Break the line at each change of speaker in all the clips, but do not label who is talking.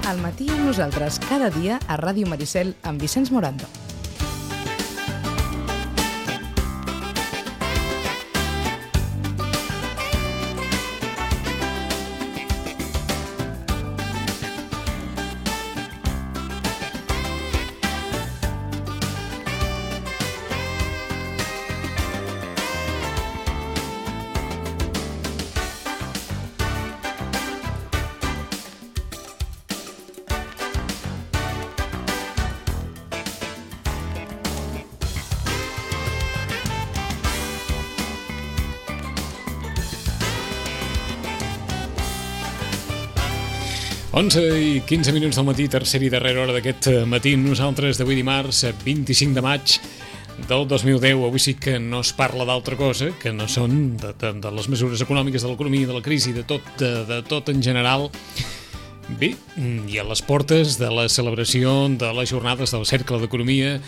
Al matí amb nosaltres, cada dia a Ràdio Maricel amb Vicenç Morando.
Onze i 15 minuts del matí, tercera i darrera hora d'aquest matí. Nosaltres d'avui dimarts, 25 de maig del 2010. Avui sí que no es parla d'altra cosa, que no són de les mesures econòmiques, de l'economia, de la crisi, de tot en general. Bé, i a les portes de la celebració de les jornades del Cercle d'Economia,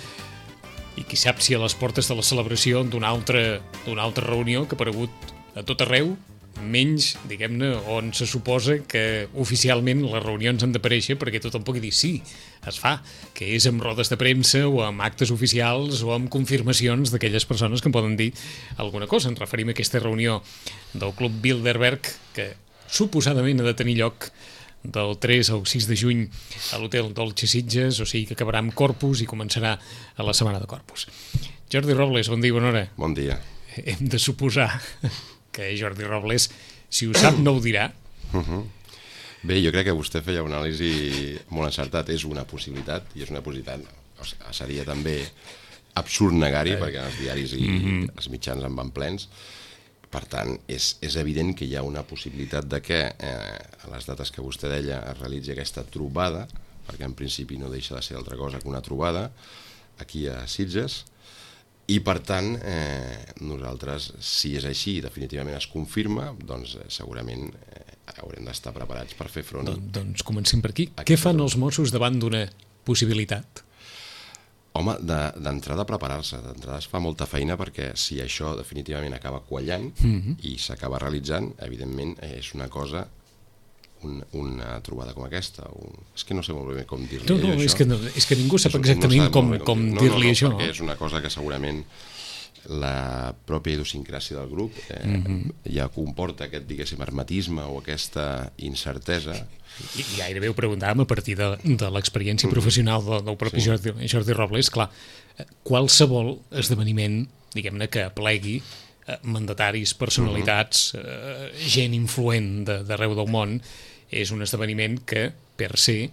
i qui sap si a les portes de la celebració d'una altra reunió que ha aparegut a tot arreu, menys, diguem-ne, on se suposa que oficialment les reunions han d'aparèixer perquè tothom pugui dir sí, es fa, que és amb rodes de premsa o amb actes oficials o amb confirmacions d'aquelles persones que en poden dir alguna cosa. Ens referim a aquesta reunió del Club Bilderberg que suposadament ha de tenir lloc del 3 al 6 de juny a l'Hotel Dolce Sitges, o sigui que acabarà amb Corpus i començarà a la setmana de Corpus. Jordi Robles, bon dia i bona hora.
Bon dia.
Hem de suposar que Jordi Robles, si ho sap, no ho dirà.
Bé, jo crec que vostè feia una anàlisi molt encertat. És una possibilitat, i és una possibilitat. O sigui, seria també absurd negar-hi, perquè els diaris i els mitjans en van plens. Per tant, és evident que hi ha una possibilitat de que a les dates que vostè deia es realitzi aquesta trobada, perquè en principi no deixa de ser altra cosa que una trobada, aquí a Sitges. I, per tant, nosaltres, si és així i definitivament es confirma, doncs segurament haurem d'estar preparats per fer front.
Doncs comencem per aquí. Què fan els Mossos davant d'una possibilitat?
Home, d'entrada preparar-se. D'entrada es fa molta feina perquè si això definitivament acaba quallant i s'acaba realitzant, evidentment és una cosa, una trobada com aquesta. És que no sé molt bé com dir-li això.
És que ningú sap exactament com dir-li això.
Perquè és una cosa que segurament la pròpia idiosincràsia del grup ja comporta aquest, diguéssim, hermetisme o aquesta incertesa.
I gairebé ho preguntàvem a partir de l'experiència professional del propi Jordi Robles. Clar, qualsevol esdeveniment, diguem-ne, que aplegui mandataris, personalitats, gent influent d'arreu del món, és un esdeveniment que, per se,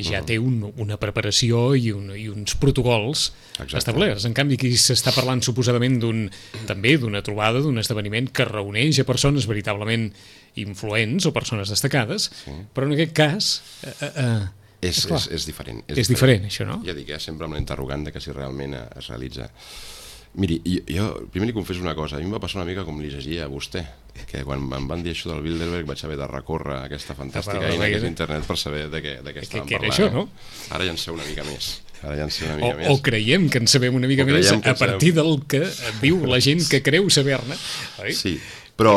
ja té una preparació i uns protocols establerts. En canvi, aquí s'està parlant suposadament també d'una trobada, d'un esdeveniment que reuneix a persones veritablement influents o persones destacades, però en aquest cas
és diferent.
És diferent, això, no?
Ja dic, sempre amb l'interrogant de que si realment es realitza. Miri, jo primer li confesso una cosa. A mi em va passar una mica com li llegia a vostè, que quan em van dir això del Bilderberg vaig haver de recórrer aquesta fantàstica eina que és internet per saber de què estàvem parlant.
Què era això, no?
Ara ja en sé una mica més.
O creiem que en sabem una mica més a partir del que diu la gent que creu saber-ne.
Sí, però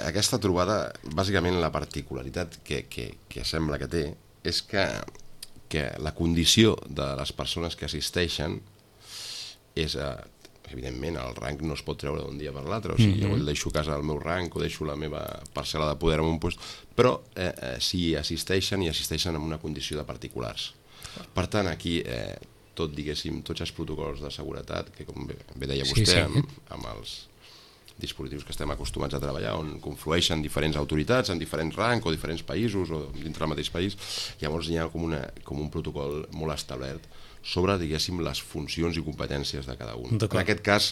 aquesta trobada, bàsicament la particularitat que sembla que té és que la condició de les persones que assisteixen és, evidentment, el rang no es pot treure d'un dia per l'altre, o sigui, jo deixo a casa el meu rang o deixo la meva parcel·la de poder en un lloc, però si assisteixen en una condició de particulars. Per tant, aquí, diguéssim, tots els protocols de seguretat, que com bé deia vostè, amb els dispositius que estem acostumats a treballar, on conflueixen diferents autoritats en diferents rangs o diferents països o dintre del mateix país, llavors hi ha com un protocol molt establert sobre, diguéssim, les funcions i competències de cada un. En aquest cas,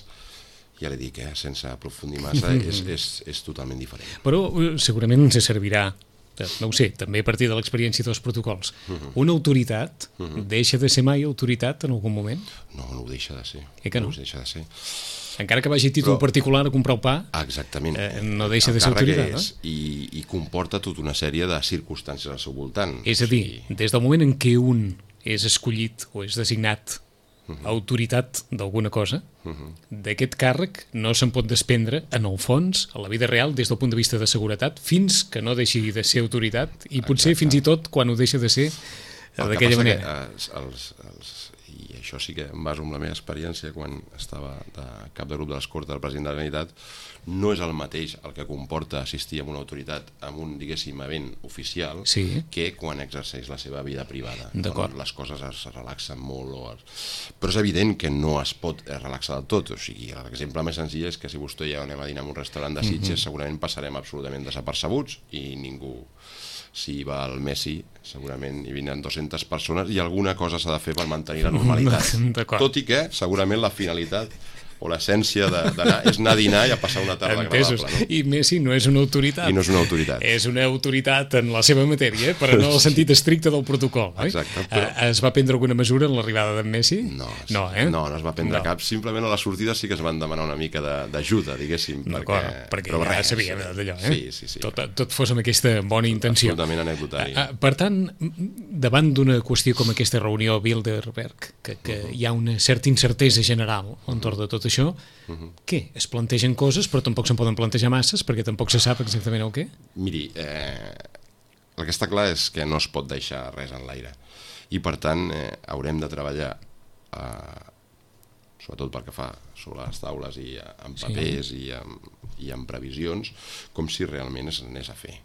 ja li dic, sense aprofundir massa, és totalment diferent.
Però segurament ens servirà, no ho sé, també a partir de l'experiència dels protocols. Una autoritat deixa de ser mai autoritat en algun moment?
No ho deixa de ser.
Que no?
No ho deixa de ser.
Encara que vagi a títol particular a comprar el pa,
exactament.
No deixa de ser autoritat, no?
I comporta tota una sèrie de circumstàncies al seu voltant.
És a dir, des del moment en què un és escollit o és designat autoritat d'alguna cosa, d'aquest càrrec no se'n pot desprendre, en el fons, a la vida real, des del punt de vista de seguretat, fins que no deixi de ser autoritat, i potser fins i tot quan ho deixa de ser d'aquella manera.
I això sí que em baso en la meva experiència quan estava de cap de grup de l'escorta del president de la Generalitat, no és el mateix el que comporta assistir a una autoritat amb un, diguéssim, event oficial que quan exerceix la seva vida privada. Les coses es relaxen molt, però és evident que no es pot relaxar del tot. O sigui, l'exemple més senzill és que si vostè i jo anem a dinar en un restaurant de Sitges, segurament passarem absolutament desapercebuts i ningú... Si va el Messi, segurament hi vindran 200 persones i alguna cosa s'ha de fer per mantenir la normalitat. Tot i que, segurament, la finalitat o l'essència d'anar és anar a dinar i a passar una tarda agradable. No?
I Messi no és una autoritat.
I no és una autoritat.
És una autoritat en la seva matèria, però no en el sentit estricte del protocol.
Exacte. Però...
Es va prendre alguna mesura en l'arribada d'en Messi?
No es va prendre cap. Simplement a la sortida sí que es van demanar una mica d'ajuda, diguéssim.
Perquè ja sabíem d'allò.
Sí.
Tot fos amb aquesta bona intenció.
Absolutament anecdotari.
Per tant, davant d'una qüestió com aquesta reunió Bilderberg, que hi ha una certa incertesa general entorn de tot això, què? Es plantegen coses però tampoc se'n poden plantejar masses perquè tampoc se sap exactament el què?
Miri, el que està clar és que no es pot deixar res en l'aire i per tant haurem de treballar sobretot pel que fa sobre les taules i en papers i en previsions com si realment es anés a fer.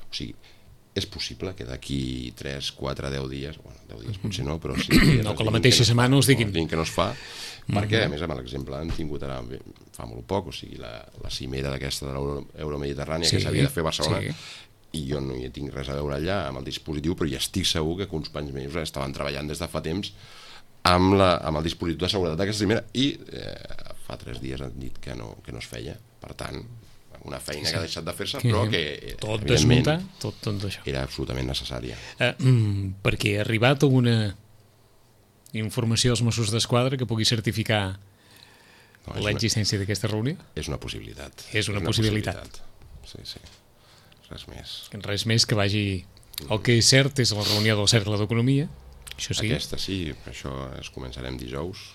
O sigui, és possible que d'aquí 3, 4, 10 dies, bueno, 10 dies potser no, però sí...
No, que la mateixa setmana us diguin.
Que no es fa, perquè a més amb l'exemple han tingut ara fa molt poc, o sigui, la cimera d'aquesta de l'Euromediterrània que s'havia de fer a Barcelona, i jo no hi tinc res a veure allà amb el dispositiu, però ja estic segur que uns quants mesos estaven treballant des de fa temps amb el dispositiu de seguretat d'aquesta cimera i fa 3 dies han dit que no es feia, per tant una feina que ha deixat de fer-se però que
tot desmuntar, tot això
era absolutament necessària.
Perquè ha arribat alguna informació als Mossos d'Esquadra que pugui certificar l'existència d'aquesta reunió?
És una possibilitat.
És una possibilitat.
Sí. Res més.
Res més que vagi... El que és cert és la reunió del Cercle d'Economia. Això sí.
Aquesta sí, això es començarem dijous.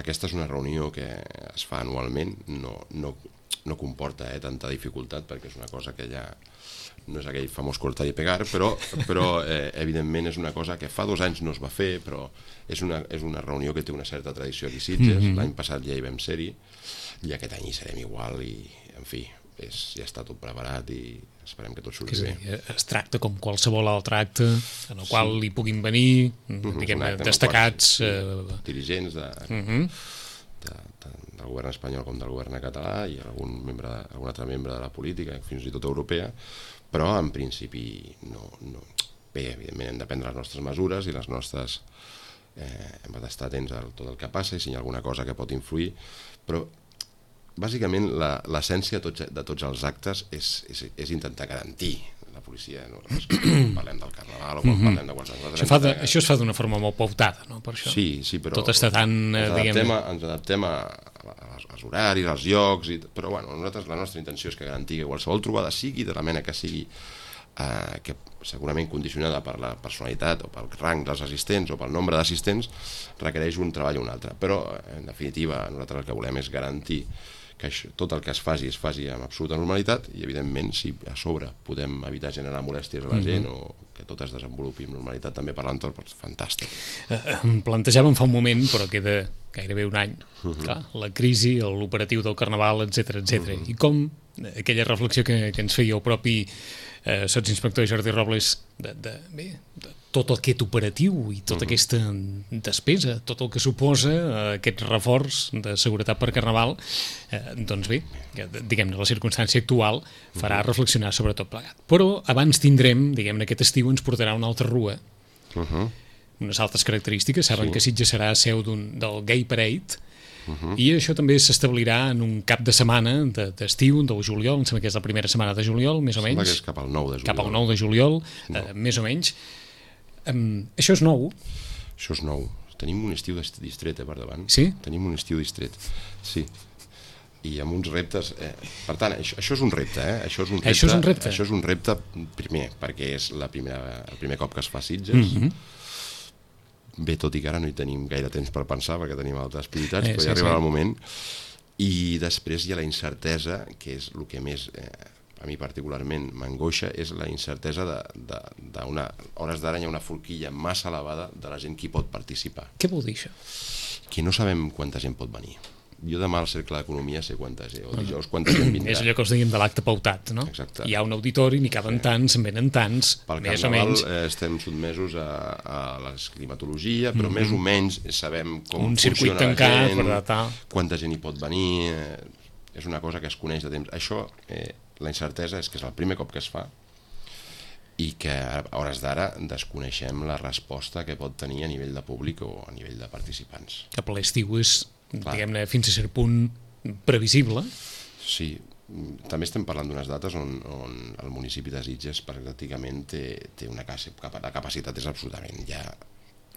Aquesta és una reunió que es fa anualment, no comporta tanta dificultat perquè és una cosa que ja no és aquell famós cortar i pegar, però evidentment és una cosa que fa 2 anys no es va fer, però és una reunió que té una certa tradició aquí a Sitges. L'any passat ja hi vam ser-hi i aquest any hi serem igual i, en fi, ja està tot preparat i esperem que tot surti bé.
Es tracta com qualsevol altre acte en el qual hi puguin venir destacats
dirigents del govern espanyol com del govern català i algun altre membre de la política, fins i tot europea, però en principi no. Bé, evidentment hem de prendre les nostres mesures i les nostres hem d'estar atents a tot el que passa i si hi ha alguna cosa que pot influir, però bàsicament l'essència de tots els actes és intentar garantir la policia, no? Quan parlem del Carnaval o quan parlem de qualsevol...
Això es fa d'una forma molt pautada, no? Per això.
Sí, però
tot està tan...
Ens adaptem als horaris, als llocs, però bueno, la nostra intenció és que garantir que qualsevol trobada sigui de la mena que sigui, que segurament condicionada per la personalitat o pel rang dels assistents o pel nombre d'assistents, requereix un treball o un altre. Però, en definitiva, nosaltres el que volem és garantir que tot el que es faci amb absoluta normalitat i, evidentment, si a sobre podem evitar generar molèsties a la gent o que tot es desenvolupi amb normalitat també per l'entorn, doncs fantàstic.
Plantejàvem fa un moment, però queda gairebé un any, clar, la crisi, l'operatiu del Carnaval, etc. I com aquella reflexió que ens feia el propi sotsinspector Jordi Robles de tot aquest operatiu i tota aquesta despesa, tot el que suposa aquest reforç de seguretat per Carnaval, doncs bé, diguem-ne, la circumstància actual farà reflexionar sobre tot plegat. Però abans tindrem, diguem-ne, aquest estiu ens portarà una altra rua, unes altres característiques. Saben que Sitges serà seu del Gay Parade, i això també s'establirà en un cap de setmana d'estiu, del juliol, em sembla que és la primera setmana de juliol, més o menys.
Sembla que és cap al 9 de juliol.
Cap al 9 de juliol, més o menys. Això és nou?
Això és nou. Tenim un estiu distret per davant.
Sí?
Tenim un estiu distret, sí. I amb uns reptes... Per tant, això és un repte, Això és un repte, primer, perquè és el primer cop que es fa a Sitges. bé, tot i que ara no hi tenim gaire temps per pensar perquè tenim altres prioritats, però ja arribarà el moment. I després hi ha la incertesa, que és el que més a mi particularment m'angoixa, és la incertesa d'una... A hores d'ara hi ha una forquilla massa elevada de la gent que hi pot participar.
Què vol dir això?
Que no sabem quanta gent pot venir. Jo demà al Cercle d'Economia sé quanta gent, o dijous quanta gent vindrà.
És allò que els dèiem de l'acte pautat, no?
Exacte.
Hi ha un auditori, n'hi caben tants, en venen tants, més o menys.
Pel Carnaval estem sotmesos a la climatologia, però més o menys sabem com
un circuit
funciona
tancat,
la gent,
tal.
quanta gent hi pot venir, és una cosa que es coneix de temps. Això, la incertesa és que és el primer cop que es fa i que a hores d'ara desconeixem la resposta que pot tenir a nivell de públic o a nivell de participants.
Que per l'estiu és, diguem-ne, fins a cert punt previsible.
Sí, també estem parlant d'unes dates on el municipi de Sitges pràcticament té una capacitat és absolutament ja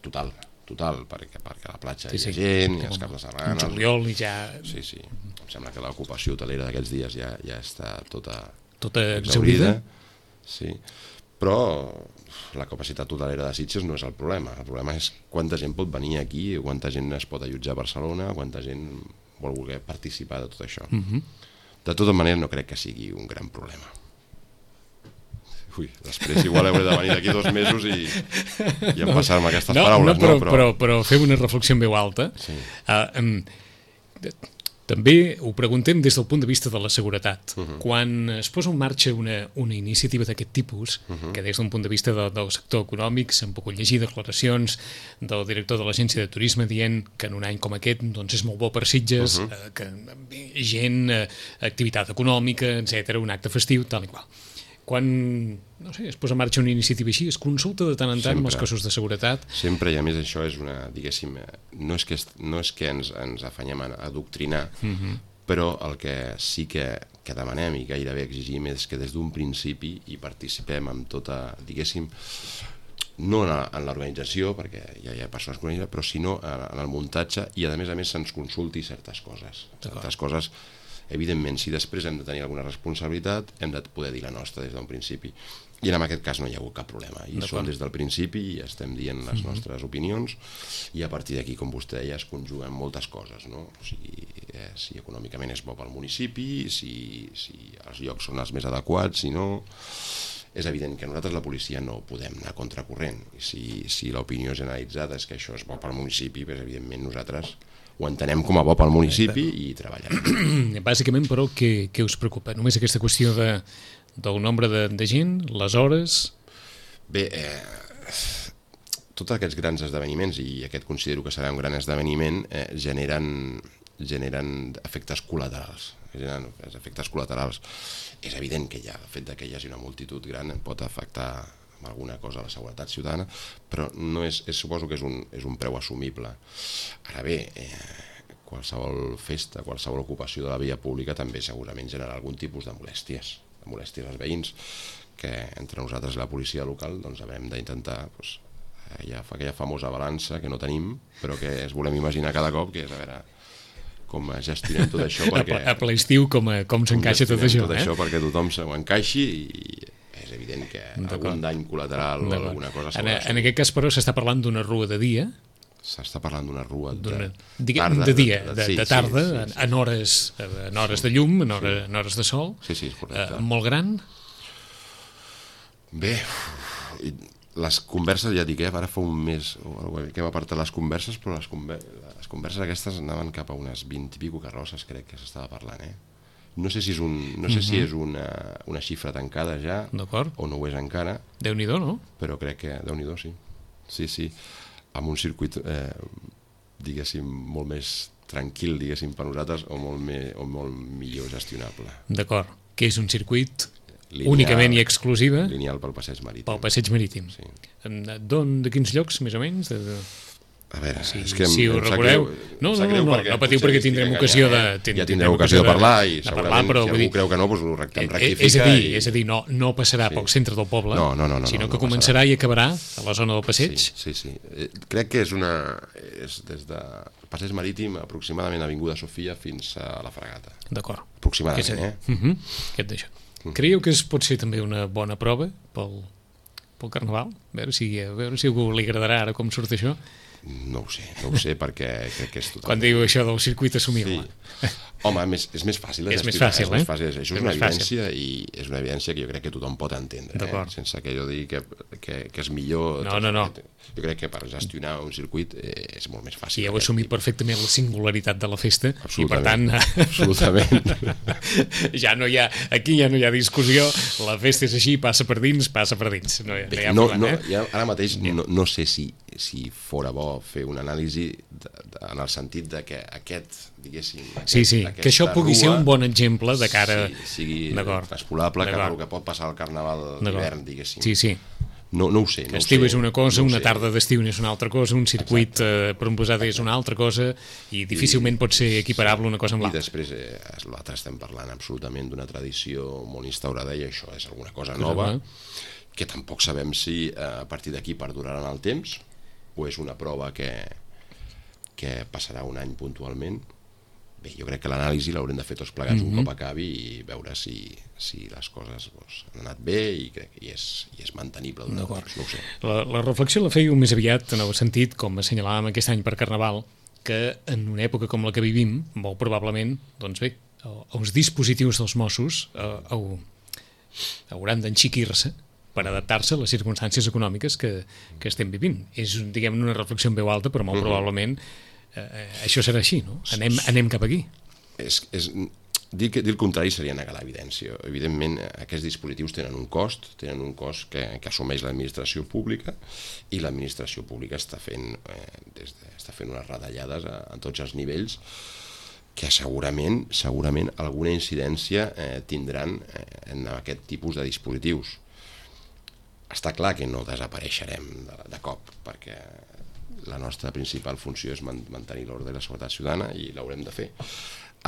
total, perquè a la platja hi ha gent, i als caps de setmana...
En juliol i ja...
Sí, em sembla que l'ocupació hotelera d'aquests dies ja està tota
exhaurida.
Sí, però la capacitat hotelera de Sitges no és el problema és quanta gent pot venir aquí, quanta gent es pot allotjar a Barcelona, quanta gent vol voler participar de tot això. De tota manera no crec que sigui un gran problema. Ui, després igual hauré de venir d'aquí 2 mesos i empassar-me aquestes paraules.
Però fem una reflexió en veu alta.
Sí.
També ho preguntem des del punt de vista de la seguretat. Quan es posa en marxa una iniciativa d'aquest tipus, que des d'un punt de vista del sector econòmic s'han pogut llegir declaracions del director de l'Agència de Turisme dient que en un any com aquest doncs és molt bo per Sitges, que gent, activitat econòmica, etc, un acte festiu, tal i qual. Quan, no sé, es posa en marxa una iniciativa així, es consulta de tant en tant amb els cossos de seguretat.
Sempre, i a més això és una, diguéssim, no és que ens afanyem a adoctrinar, però el que sí que demanem i gairebé exigim és que des d'un principi hi participem amb tota, diguéssim, no en l'organització, perquè ja hi ha persones que ho organitzen, però sinó en el muntatge i a més se'ns consulti certes coses. Certes coses, evidentment, si després hem de tenir alguna responsabilitat, hem de poder dir la nostra des d'un principi. I en aquest cas no hi ha hagut cap problema. I som des del principi i estem dient les nostres opinions i a partir d'aquí, com vostè deia, es conjuguen moltes coses, no? O sigui, si econòmicament és bo pel municipi, si els llocs són els més adequats, si no... És evident que nosaltres, la policia, no podem anar a contracorrent. Si l'opinió generalitzada és que això és bo pel municipi, doncs, evidentment, nosaltres ho entenem com a bo pel municipi i treballem.
Bàsicament, però, què us preocupa? Només aquesta qüestió del nombre de gent, les hores...
Bé, tots aquests grans esdeveniments, i aquest considero que serà un gran esdeveniment, generen efectes col·laterals. És evident que ja el fet que hi hagi una multitud gran pot afectar alguna cosa a la seguretat ciutadana, però no suposo que és un preu assumible. Ara bé, qualsevol festa, qualsevol ocupació de la via pública també segurament generarà algun tipus de molèsties als veïns, que entre nosaltres i la policia local doncs haurem d'intentar aquella famosa balança que no tenim, però que es volem imaginar cada cop, que és a veure com gestionem tot això, perquè...
A ple estiu com s'encaixa tot això,
això perquè tothom s'ho encaixi, i és evident que algun dany col·lateral o alguna cosa s'haurà
en aquest cas, però, s'està parlant d'una rua de dia.
S'està parlant d'una rua de
tarda, en hores de llum, en hores de sol.
Sí, és correcte.
Molt gran?
Bé, les converses, ja dic, ara fa un mes que hem apartat les converses, però les converses aquestes anaven cap a unes 20 i pico carrosses, crec que s'estava parlant, No sé si és una xifra tancada ja, o no ho és encara.
Déu-n'hi-do, no?
Però crec que, Déu-n'hi-do, sí. Sí, amb un circuit, diguéssim, molt més tranquil, diguéssim, per nosaltres, o molt millor gestionable.
D'acord. Que és un circuit únicament i exclusiva?
Lineal pel passeig marítim.
Pel passeig marítim.
Sí.
De quins llocs, més o menys?
A veure, és que
si ho recordeu... No patiu perquè tindrem ocasió de...
Ja tindrem ocasió de parlar i segurament si algú creu que no, doncs ho rectifica.
És a dir, no passarà pel centre del poble, sinó que començarà i acabarà a la zona del passeig.
Sí. Crec que és des de passeig marítim aproximadament Avinguda Sofia fins a la Fragata.
D'acord.
Aproximadament,
Què et deixa? Creieu que pot ser també una bona prova pel pel Carnaval? A veure si a algú li agradarà ara com surt això.
No ho sé perquè crec que és totalment...
Quan diu això del circuit assumible.
Sí. Home, és més fàcil.
És més fàcil, eh?
Això és una evidència i és una evidència que jo crec que tothom pot entendre, sense que jo digui que és millor.
No.
Jo crec que per gestionar un circuit és molt més fàcil.
I heu assumit perfectament la singularitat de la festa i per tant
absolutament.
Aquí ja no hi ha discussió, la festa és així, passa per dins.
Ara mateix no sé si fora bo fer una anàlisi en el sentit de que aquest, diguéssim...
que això pugui ser un bon exemple de cara...
sigui traspolable, que pot passar al Carnaval d'hivern, diguéssim.
Sí.
No ho sé.
Estiu és una cosa, una tarda d'estiu és una altra cosa, un circuit per un posat és una altra cosa i difícilment pot ser equiparable una cosa amb l'altra.
I després l'altre estem parlant absolutament d'una tradició molt instaurada i això és alguna cosa nova que tampoc sabem si a partir d'aquí perdurarà en el temps o és una prova que passarà un any puntualment. Bé, jo crec que l'anàlisi l'haurem de fer tots plegats un cop acabi i veure si les coses han anat bé i és mantenible durant el temps, no ho sé.
La reflexió la feia més aviat en el sentit, com assenyalàvem aquest any per Carnaval, que en una època com la que vivim, molt probablement, doncs bé, els dispositius dels Mossos hauran d'enxiquir-se per adaptar-se a les circumstàncies econòmiques que estem vivint. És, diguem, una reflexió en veu alta, però molt probablement això serà així, no? Anem cap aquí.
Dir el contrari seria negar l'evidència. Evidentment, aquests dispositius tenen un cost que assumeix l'administració pública i l'administració pública està fent unes retallades a tots els nivells que segurament alguna incidència tindran en aquest tipus de dispositius. Està clar que no desapareixerem de cop, perquè la nostra principal funció és mantenir l'ordre i la seguretat ciutadana i l'haurem de fer.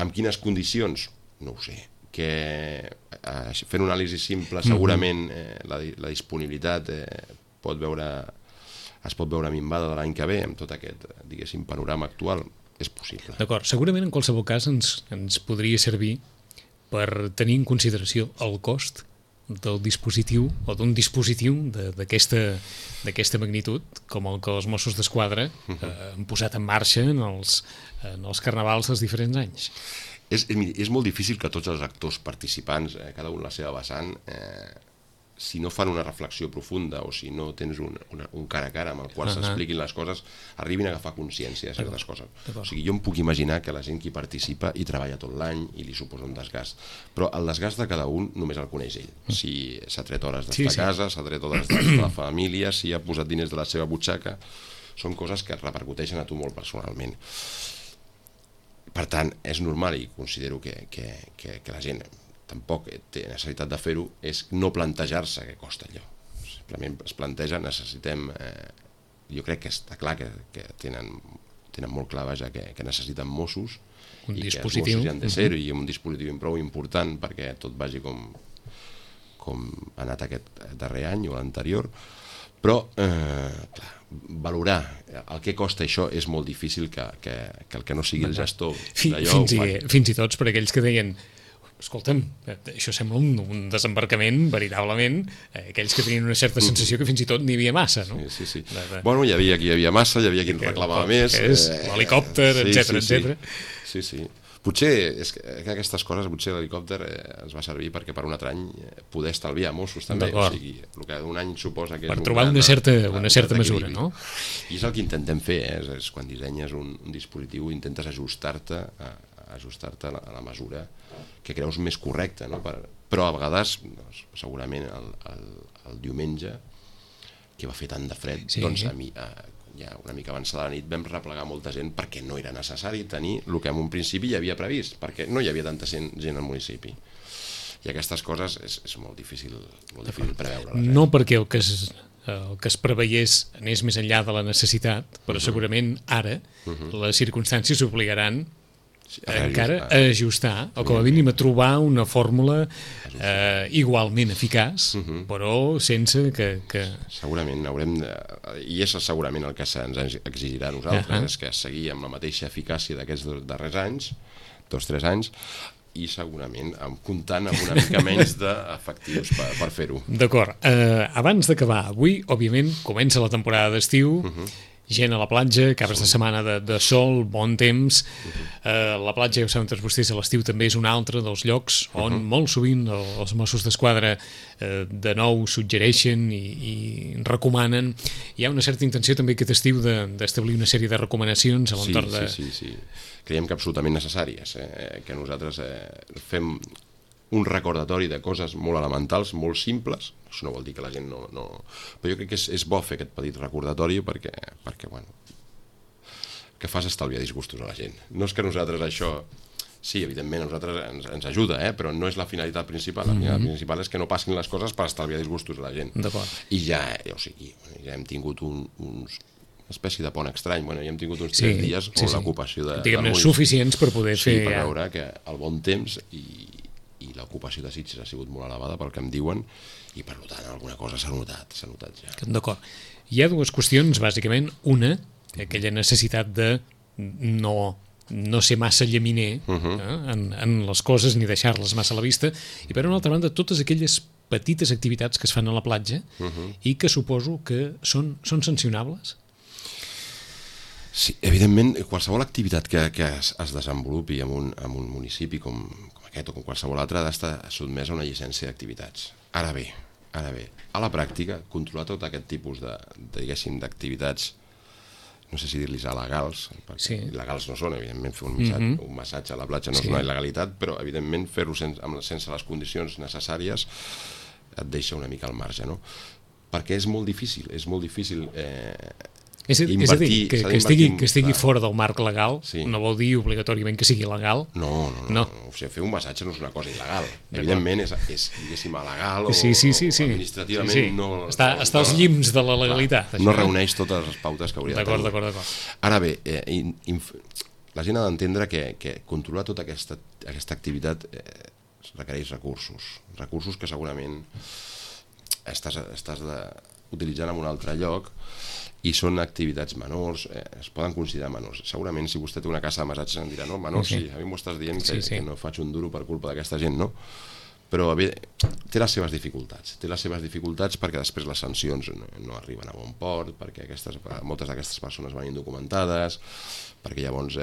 Amb quines condicions? No ho sé. Fent una anàlisi simple, segurament la disponibilitat es pot veure minvada de l'any que ve amb tot aquest, diguéssim, panorama actual. És possible.
D'acord. Segurament en qualsevol cas ens podria servir per tenir en consideració el cost del dispositiu o d'un dispositiu d'aquesta magnitud com el que els Mossos d'Esquadra han posat en marxa en els carnavals dels diferents anys.
És molt difícil que tots els actors participants, cada un la seva vessant, si no fan una reflexió profunda o si no tens un cara a cara amb el qual s'expliquin les coses, arribin a agafar consciència de certes coses. O sigui, jo em puc imaginar que la gent que hi participa hi treballa tot l'any i li suposa un desgast, però el desgast de cada un només el coneix ell. Si s'ha tret hores d'estar a casa, s'ha tret hores d'estar a la família, si ha posat diners de la seva butxaca, són coses que repercuteixen a tu molt personalment. Per tant, és normal i considero que la gent tampoc té necessitat de fer-ho, és no plantejar-se què costa allò. Simplement es planteja, necessitem... Jo crec que està clar que tenen molt clar que necessiten Mossos
i
que els Mossos hi han de ser i un dispositiu prou important perquè tot vagi com ha anat aquest darrer any o l'anterior, però clar, valorar el que costa això és molt difícil que el que no sigui el gestor d'allò
fins i tot per aquells que deien escolta'm, això sembla un desembarcament veritablement, aquells que tenien una certa sensació que fins i tot n'hi havia massa, no?
Sí. Bueno, hi havia qui hi havia massa, hi havia qui en reclamava més.
L'helicòpter, etcètera.
Sí. Potser, és que aquestes coses, potser l'helicòpter ens va servir perquè per un altre any poder estalviar Mossos també, o sigui, el que un any suposa que és...
Per trobar una certa mesura, no?
I és el que intentem fer, és quan dissenyes un dispositiu, intentes ajustar-te a la mesura que creus més correcta, no? Però a vegades, segurament el diumenge, que va fer tant de fred, doncs a mi, ja una mica avançada la nit, vam replegar molta gent perquè no era necessari tenir el que en un principi hi havia previst, perquè no hi havia tanta gent al municipi. I aquestes coses és molt difícil preveure-les.
No perquè el que es preveiés anés més enllà de la necessitat, però segurament ara les circumstàncies obligaran encara a ajustar o com a mínim a trobar una fórmula igualment eficaç, però sense que...
Segurament haurem de... I és segurament el que se'ns exigirà a nosaltres, és que seguir amb la mateixa eficàcia d'aquests darrers anys, 2 o 3 anys, i segurament comptant amb una mica menys d'efectius per fer-ho.
D'acord. Abans d'acabar, avui, òbviament, comença la temporada d'estiu, gent a la platja, caps de setmana de sol, bon temps. La platja, ja ho saben tots vostès, a l'estiu també és un altre dels llocs on molt sovint els Mossos d'Esquadra de nou suggereixen i recomanen. Hi ha una certa intenció també aquest estiu d'establir una sèrie de recomanacions a l'entorn de...
Sí. Creiem que absolutament necessàries, que nosaltres fem un recordatori de coses molt elementals, molt simples. Això no vol dir que la gent no... Però jo crec que és bo fer aquest petit recordatori perquè bueno, que fas estalviar disgustos a la gent. No és que nosaltres això... Sí, evidentment, a nosaltres ens ajuda, però no és la finalitat principal. La finalitat principal és que no passin les coses per estalviar disgustos a la gent. I ja hem tingut una espècie de pont estrany. Bueno, ja hem tingut uns 3 dies on l'ocupació de...
Diguem-ne, suficients per poder fer...
Sí, per veure que el bon temps i l'ocupació de Sitges ha sigut molt elevada pel que em diuen i per tant alguna cosa s'ha notat ja.
D'acord. Hi ha dues qüestions, bàsicament. Una, aquella necessitat de no ser massa llaminer en les coses ni deixar-les massa a la vista, i per una altra banda totes aquelles petites activitats que es fan a la platja i que suposo que són sancionables.
Sí, evidentment, qualsevol activitat que es desenvolupi en un municipi com aquest o com qualsevol altre ha d'estar sotmès a una llicència d'activitats. Ara bé, a la pràctica, controlar tot aquest tipus d'activitats, no sé si dir-los il·legals, perquè il·legals no són, evidentment, fer un massatge a la platja no és una il·legalitat, però evidentment fer-ho sense les condicions necessàries et deixa una mica al marge, no? Perquè és molt difícil
és a dir, que estigui fora del marc legal no vol dir obligatòriament que sigui legal.
No. O sigui, fer un massatge no és una cosa il·legal. Evidentment és diguéssim, legal o administrativament no...
Està als llims de la legalitat.
No reuneix totes les pautes que hauria de tenir.
D'acord.
Ara bé, la gent ha d'entendre que controlar tota aquesta activitat requereix recursos que segurament estàs utilitzant en un altre lloc i són activitats menors, es poden considerar menors. Segurament si vostè té una casa de massatges em dirà, no, menors, sí, a mi m'ho estàs dient que no faig un duro per culpa d'aquesta gent, no? Però té les seves dificultats perquè després les sancions no arriben a bon port, perquè moltes d'aquestes persones van indocumentades, perquè llavors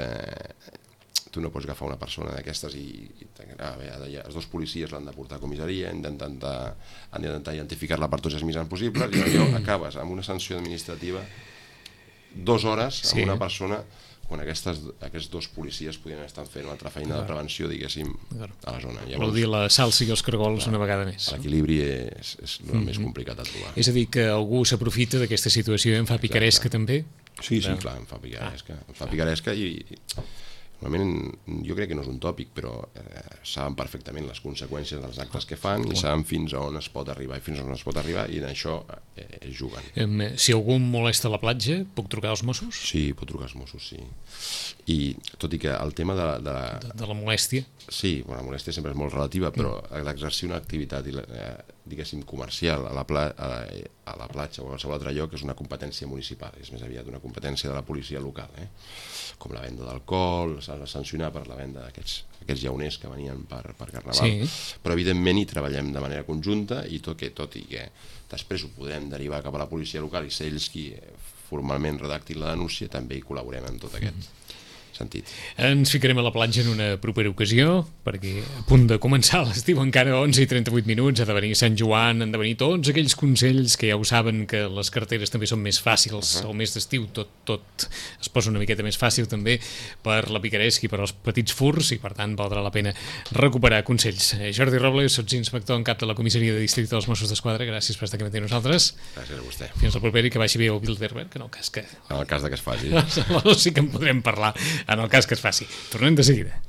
tu no pots agafar una persona d'aquestes i els 2 policies l'han de portar a comissaria, han d'intentar identificar-la per tots els mitjans possibles i allò acabes amb una sanció administrativa 2 hores amb una persona quan aquests 2 policies podien estar fent una altra feina de prevenció, diguéssim, a la zona.
Vol dir la salsa i els cargols una vegada més.
L'equilibri és el més complicat de trobar.
És a dir, que algú s'aprofita d'aquesta situació i en fa picaresca també?
Sí, clar, em fa picaresca i normalment jo crec que no és un tòpic, però saben perfectament les conseqüències dels actes que fan i saben fins a on es pot arribar i en això es juguen.
Si algú molesta a la platja, puc trucar als Mossos?
Sí, pot trucar als Mossos, sí. I tot i que el tema de
la molèstia?
Sí, la molèstia sempre és molt relativa, però l'exercir una activitat, diguéssim, comercial a la platja o a qualsevol altre lloc és una competència municipal, és més aviat una competència de la policia local, com la venda d'alcohol, s'ha de sancionar per la venda d'aquests llauners que venien per Carnaval, però evidentment hi treballem de manera conjunta i tot i que després ho podrem derivar cap a la policia local i ser ells qui formalment redactin la denúncia, també hi col·laborem en tot aquest sentit.
Ens ficarem a la platja en una propera ocasió, perquè a punt de començar l'estiu, encara 11:38, ha de venir Sant Joan, han de venir tots aquells consells que ja ho saben, que les carreteres també són més fàcils, el mes d'estiu tot es posa una miqueta més fàcil també per la picaresca i per als petits furts, i per tant valdrà la pena recuperar consells. Jordi Robles, sots-inspector en cap de la comissaria de districte dels Mossos d'Esquadra, gràcies per estar aquí amb nosaltres.
Gràcies a vostè.
Fins al proper i que vagi bé el Bilderberg, en el cas que...
En el cas que es faci.
Sí que en podrem parlar, en el cas que es faci. Tornem de seguida.